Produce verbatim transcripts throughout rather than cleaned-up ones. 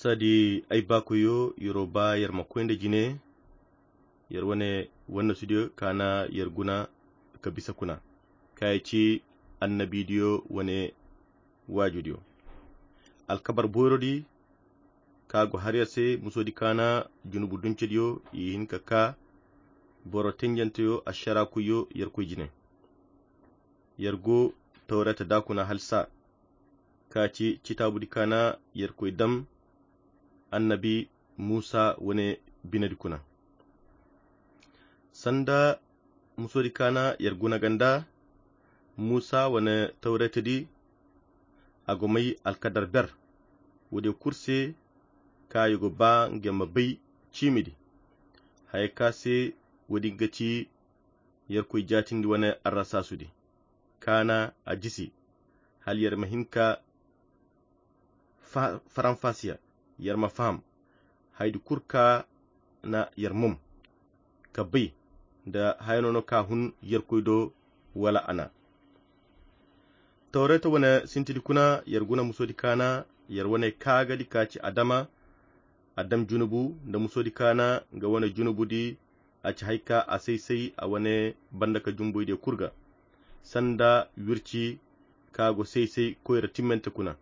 Sadi ay baakoyo, yer'o ba yer ma koy nda jine, yer wane wannasudiyo ka na yer guna ka bisa kuna, ka ya ci annabidiyo wane waajudiyo. Alkabar boyrodi ka go har yer se, musodi ka na junubu duncediyo i hin ka ka boro tenjanteyo, ašarakuyo, yerkoy jine. Yer go Tawreta da kuna halsa, ka ci citaabudi ka na yerkoy dam annabi Musa wane binedi kuna. Sanda musodi ka na yer guna ganda, Musa wane Tawretedi a go may alkadar ber, woodiyo kulu se ka yer go ba nga ma bay ciimidi. Haya ka se woodi ga ci yerkoy jaatindi wane arrasaasudi, ka na a jisi, hala yer ma hin ka fa-, faranfasiya, yer ma faham haydi kulu ka na yer mom ka bay nda haya no no ka hun yerkoy do wala a na. Tawreta wane sintidi kuna, yer guna musodi ka na yer wane kaagadi ka ci Adama, a dam junubu nda musodi ka na nga wane junubudi, a ci hay ka a say-say a wane banda ka jumboydiyo kulu ga, sanda wirci ka go say-say koyra timmante kuna,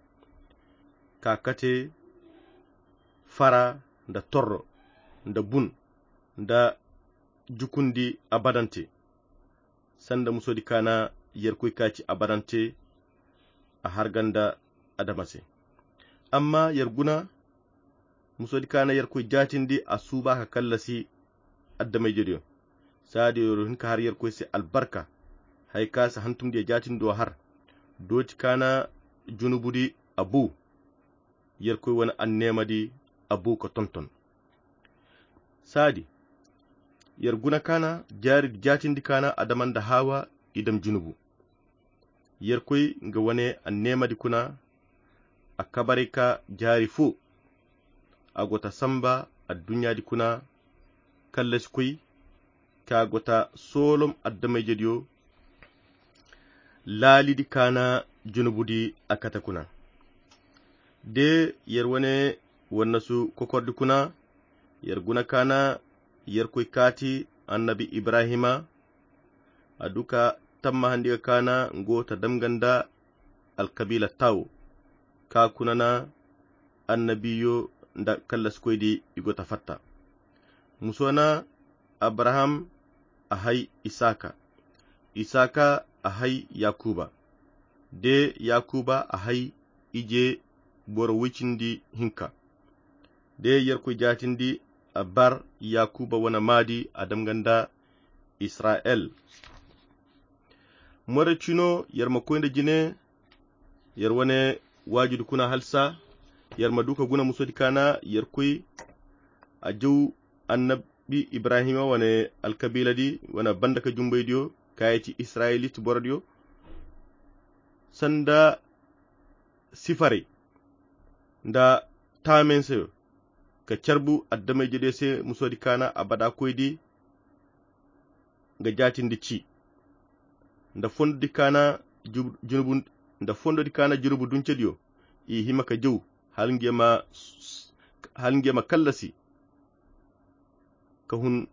ka kate fara nda torro nda bun nda jukundi abadante, sanda musodi ka na yerkoy ka ci abadante a har ganda Adama se. Amma yer guna musodi ka na yerkoy jaatindi a suuba ka kallasi adamaijediyo. Saadi yer hin ka har yerkoy se albarka, hay ka si hantumdiyo jaatindo har, dooti ka na junubudi a bu, yerkoy wane anneemadi a bu ka tonton. Saadi yer guna ka na jaari jaatindi ka na Adama nda Hawa i dam junubu. Yerkoy nga wane anneemadi kuna, a kabaray ka jaari fo, a go ta samba adduɲɲaadi kuna kallasikoy, ka go ta soolom adamaijediyo laalidi ka na junubudi a kate kuna. De yer wane wannasu kokordi kuna, yer guna ka na yerkoy kaati annabi Ibrahima, a du ka tammahandiga ka na nga wo ta dam nga nda alkabiila tawo, ka kuna na annabiyo nda kallasikoydi i go ta fatta. Muso na Abraham a hay Isaka, Isaka a hay Yakuba, de Yakuba a hay ije boro woy cindi hinka. De yerkoy jaatindi a bar Yakuba wane maadi a dam nga nda Isra'el. Morey cino yer ma koy nda jine yer wane waajudi kuna halsa, yer ma du ka guna musodi ka na yerkoy a jaw annabi Ibrahima wane alkabiiladi wane banda ka jumbaydiyo ka ya ci Israyiliti borodiyo, sanda sifarey nda taamenseyo ka carbu adamaijediyo se musodi ka na abada koydi nga jaatindi ci. Nda fondodi ka na jub-, junubu, nda fondodi ka na junubu duncediyo i hima ka jaw hala nga ma, hala nga ma kallasi ka hun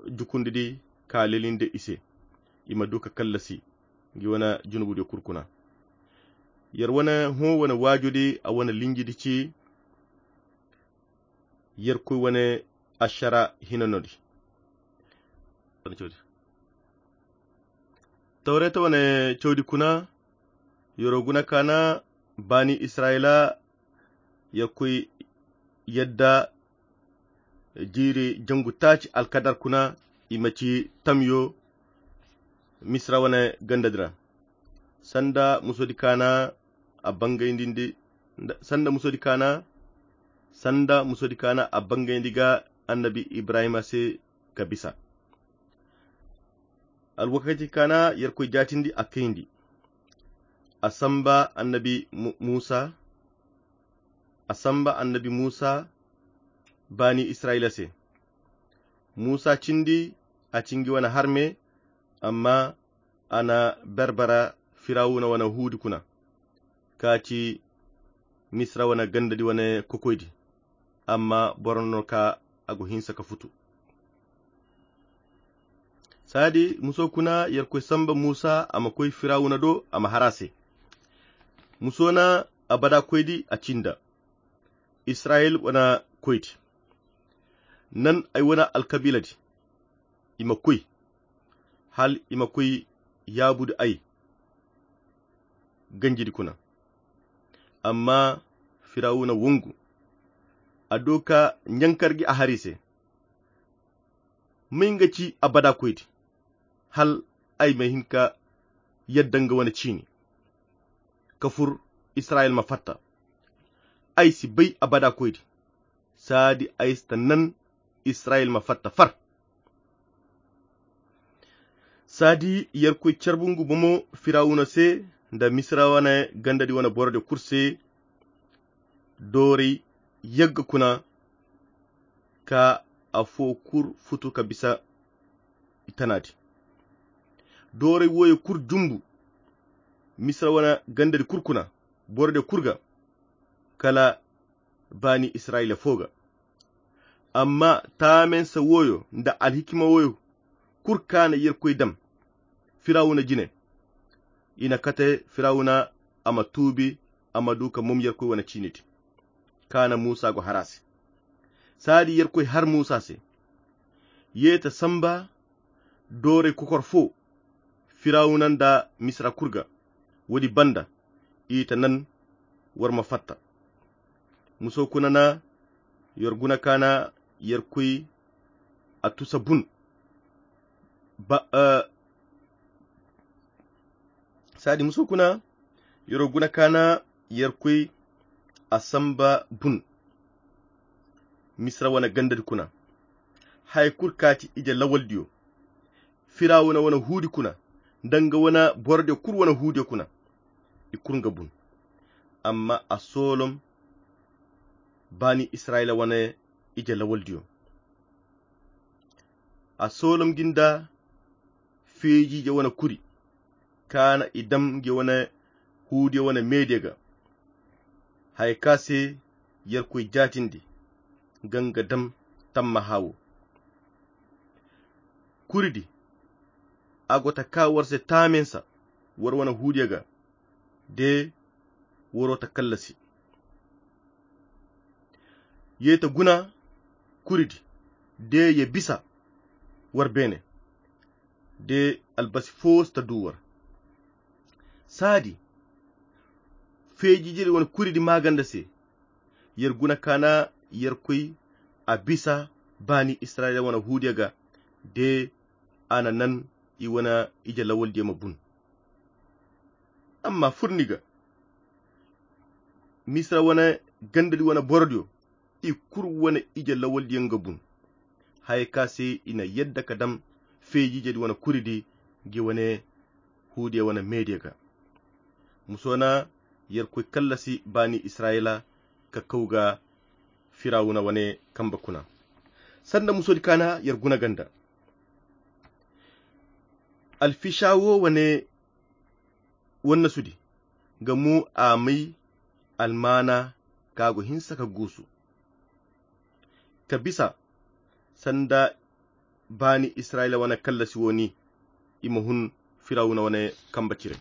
jukundidi ka lelinde i se, i ma du ka kallasi ngi wane junubudiyo kulu kuna. Yer wane hõ wane waajudi a wane linjidi ci yerkoy wane ašara hinanodi. Tawreta wane cawdi kuna yero guna ka na baani Israyila yerkoy yadda jiiri jangu taaci alkadar kuna i ma ci tamyo Misira wane gandadi ra. Sanda musodi ka na a bangayndi, sanda musodi ka na, sanda musodi ka na a bangayndi ga annabi Ibrahima se ka bisa. Alwakati ka na yerkoy jaatindi a kayndi. A samba annabi Mu-, Musa, a samba annabi Musa baani Israyila se. Musa cindi a ci ngi wane harme, amma a na berbera Firawuna wane huudi kuna, ka ci Misira wane gandadi wane kokoydi. amma boro no ka a go hinsa ka futu. Saadi muso kuna, yerkoy samba musa a ma koy firawuna do, a ma har a se. Muso na abada koydi a cinda, israyil wana koydi, nan ay wana alkabiiladi, i ma koy, hal i ma koy yaabudi ay ganjidi kuna. Amma firawuna wongu, a do ka ɲankar gi a har i se. May nga ci abada koydi, hal ay ma hin ka yadda nga wane ciini, ka fur, israyil ma fatta. Ay si bay abada koydi, saadi ay si ta nan israyil ma fatta far. Saadi yerkoy carbungu bomo firawuna se, nda misira wane gandadi wane borode kul se, dooray yagga kuna, ka afo kul futu ka bisa i tanaadi. Dooray wooyo kul jumbu misira wane gandadi kul kuna, borode kul ga, kala baani israyila fo ga. Amma taamensa wooyo nda alhikima wooyo kul kaana yerkoy dam firawuna jine, i na kate firawuna a ma tuubi, a ma du ka mom yerkoy wane ciinidi kaana musa go har a se. Saadi yerkoy har musa se, ye ta samba dooray kokor fo firawuna nda misira kul ga. Woodi banda, i ta nan war ma fatta. Muso kuna na yer guna kaana yerkoy a tusa bun. Ba saadi muso kuna yer guna kaana yerkoy a samba bun. Misira wane gandadi kuna, haya kul kaati ije lawaldiyo, firawuna wane huudi kuna, nda nga wane borodiyo kul wane huudiyo kuna, i kul nga bun. Amma a soolom baani israyila wane ije lawaldiyo. A soolom gi nda feejiije wane kuri, kaana i dam ngi wane huudiyo wane meediyo ga, haya ka se yerkoy jaatindi nga nga dam tammaha wo. Kuridi, a go ta kaa war se taaminsa war wane huudiyo ga, de waro ta kallasi. Ye ta guna kuridi, de ye bisa war beene, de albasi fo si ta du war. Saadi feejijiri wane kuridi maaganda se, yer guna kaana yerkoy a bisa baani israyila wane huudiyo ga, de a na nan i wane ije lawaldiyo ma bun. Amma furni ga misira wane gandadi wane borodiyo, i kul wane ije lawaldiyo nga bun, haya ka se i na yadda ka dam feejijedi wane kuridi ngi wane huudiyo wane meediyo ga. Muso na yerkoy kallasi baani israyila ka kaw ga firawuna wane kamba kuna. Sanda musodi kaana yer guna ganda, alfisa wo wane wannasudi nga mo a may almaana ka go hinsa ka guusu ka bisa sanda baani israyila wane kallasi wo ni, i ma hun firawuna wane kamba cire.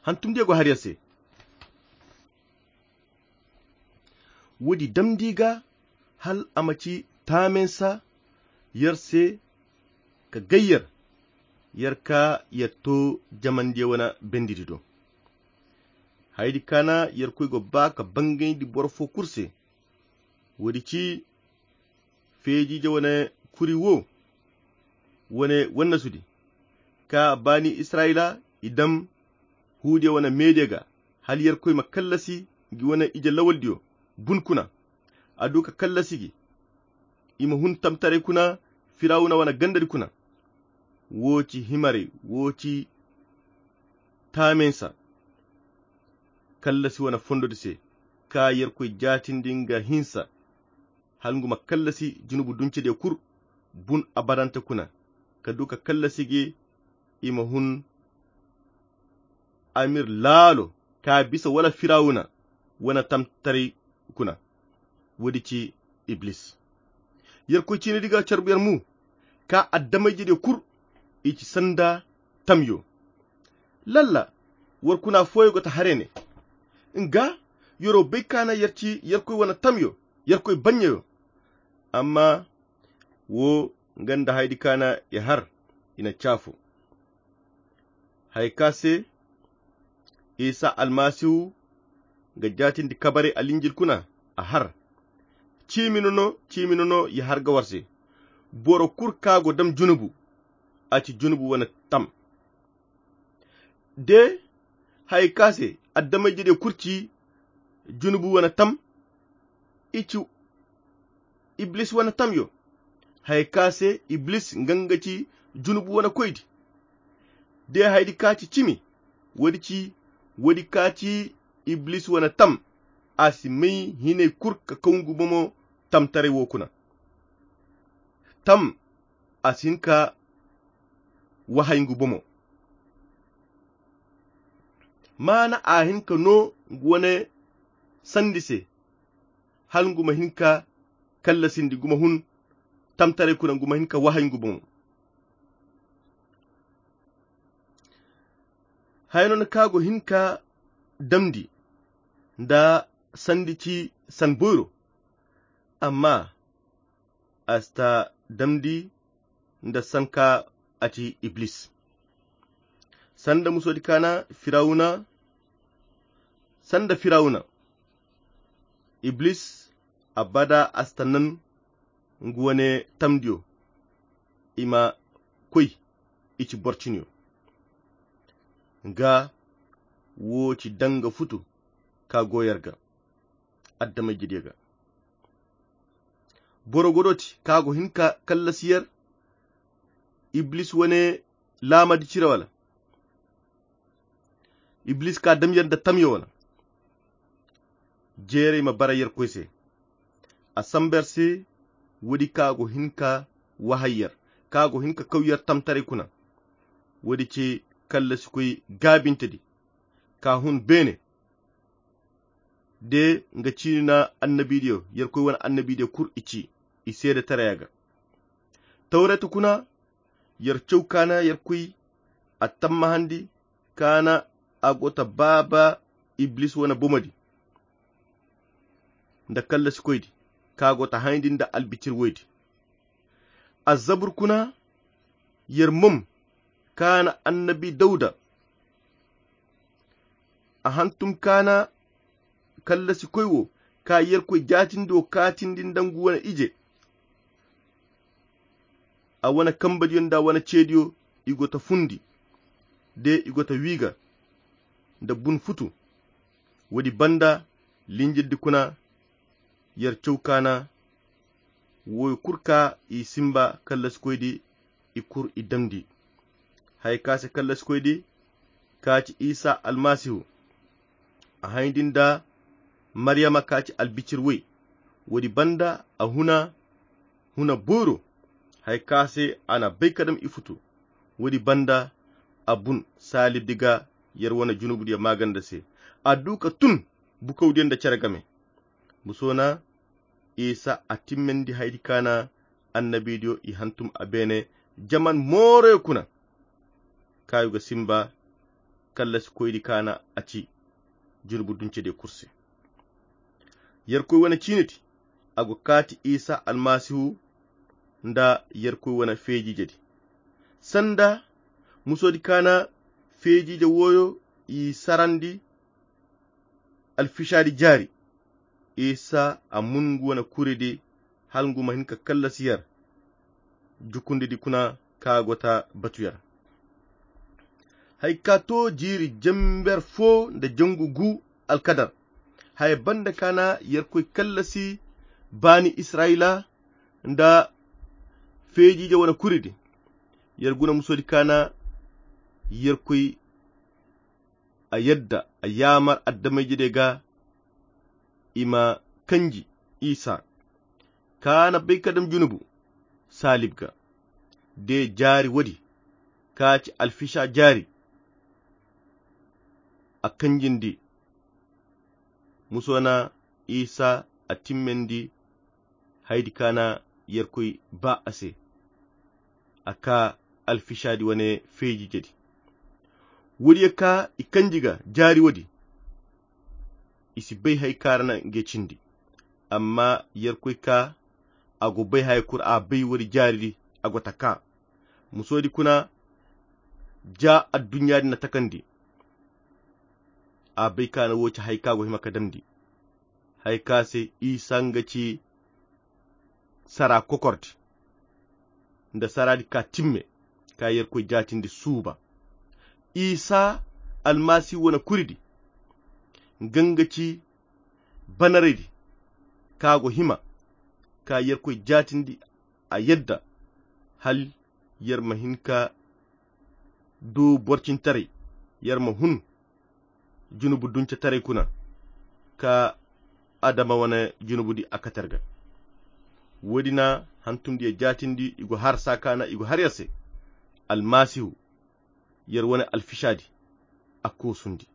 Hantumdiyo go har yer se. Woodi damndi ga hal a ma ci taaminsa yer se ka gay yer, yer ka yer to jamandiyo wane bendidi do. Hayadi kaana yerkoy go ba ka bangayndi boro fo kul se. Woodi ci feejiije wane kuri wo, wane wannasudi ka baani israyila i dam huudiyo wane meediyo ga, hal yerkoy ma kallasi ngi wane ije lawaldiyo bun kuna. A du ka kallasi gi i ma hun tamtaray kuna firawuna wane gandadi kuna. Wo ci himaray, wo ci taaminsa kallasi wane fondodi se, ka yerkoy jaatindi nga hinsa hal ngu ma kallasi junubu duncediyo kul bun abadante kuna, ka du ka kallasi gi i ma hun amir laalo ka bisa wala firawuna wane tamtaray kuna. Woodi ci iblis. Yerkoy ciinidi ga carbu yer mu ka adama-ijediyo kul i ci sanda tamyo. Lalla war kuna fooyo go ta harey ne nga yeroo bay ka na yer ci yerkoy wane tamyo, yerkoy baɲɲeyo. Amma woo nga nda hayadi ka na i har i na caafo. Haya ka se isa almasihu ga jaatindi kabarey alinjil kuna a har. Ciimi nono ciimi nono ya har ga war se. Boro kul ka go dam junubu a ci junubu wane tam. De haya ka se adama-ijediyo kul ci junubu wane tam. I ci iblis wane tamyo. Haya ka se iblis nga nga ci junubu wane koydi. De hayadi ka ci cimi woodi ci woodi ka ci iblis wane tam. A si may hinay kul ka kaw ngu bomo tamtaray woo kuna. Tam a si hin ka wahay ngu bomo. Maana a hin ka noo ngu wane sandi se hala ngu ma hin ka kallasindi ngu ma hun tamtaray kuna ngu ma hin ka wahay ngu bomo. Haya noona ka go hin ka damndi nda sandi ci san boyro. Amma a si ta damndi nda san ka a ci iblis. Sanda musoodi ka na firawuna sanda firawuna iblis abada a si ta nan ngu wane tamdiyo i ma koy i ci boro ciniyo. Nga woo ci danga futu ka go yer ga adama-ijediyo ga. Boro godooti ka go hin ka kallasi yer iblis wane laamadi cire wala iblis ka dam yer nda tamyo wala? Jeeray ma bara yerkoy se. A samba yer se woodi ka go hin ka wahay yer ka go hin ka kaw yer tamtaray kuna. Woodi ce kallasikoy gaabintedi ka hun beene. De nga ciini na annabiidiyo yerkoy wane annabiidiyo kul i ci i seede taraya ga. Tawreeta kuna yer caw ka na yerkoy a tammahandi ka na a go ta baaba iblis wane bomodi nda kallasikoydi ka go ta hayndi nda albicir woydi. Azzabur kuna yer mom ka na annabi dawuda a hantum ka na kallasikoy wo ka yerkoy jaatindi wo kaatindi nda ngu wane ije. A wane kambadiyo nda a wane ceediyo i go ta fundi de i go ta wiiga nda bun futu. Woodi banda linjildi kuna yer caw ka na wooyo kul ka i simba kallasikoydi i kul i damndi. Haya ka se kallasikoydi ka ci isa almasihu a hayndi nda maryama ka ci albicir woy. Woodi banda a huna huna booro haya ka se a na bay ka dam i futu. Woodi banda a bun saalibdi ga yer wane junubudiyo maaganda se a du ka tun bukawdiyo nda cere game. Musoona isa a timmandi haydi ka na annabiidiyo i hantum a beene jaman mooroyo kuna. Kaayu ga simba kallasikoydi ka na a ci junubu duncediyo kul se. Yerkoy wane ciinidi a go kaati isa almasihu nda yerkoy wane feejiijedi sanda musoodi ka na feejiije wooyo i sarandi alfisaadi jaari. Isa a mun ngu wane kuridi hala ngu ma hin ka kallasi yer jukundidi kuna ka go ta batu yer. Haya ka to jiiri jember foo nda jangu gu alkadar haya banda ka na yerkoy kallasi baani israyila nda feejiije wane kuridi. Yer guna musoodi ka na yerkoy a yadda a yaamar adama-ijediyo ga i ma kanji isa ka na bay ka dam junubu saalib ga. De jaari woodi ka ci alfisa jaari a kanjindi musoona isa a timmandi haydi kaana yerkoy ba a se. A ka alfishaadi wane feeji jadi. Woodiyo ka i kanji ga jaari woodi. I si bay hay kaara na nge cindi. Amma yerkoy ka a go bay haya kulu a bay woodi jaaridi. A go ta ka musoodi kuna ja adduɲɲaadi na takandi. A bay kaana wo ci hay ka go hima ka damndi. Hay ka se isa nga ci sara kokordi nda saraadi ka timme ka yerkoy jaatindi suuba. Isa almasihu wane kuridi nga nga ci banaraydi ka go hima ka yerkoy jaatindi a yadda hal yer ma hin ka du borcintaray yer ma hun junubu dunce taray kuna ka adama wane junubudi a katarga. Woodi na hantumdiyo jaatindi i go har saakaana i go har yer se almasihu yer wane alfisaadi a koosundi.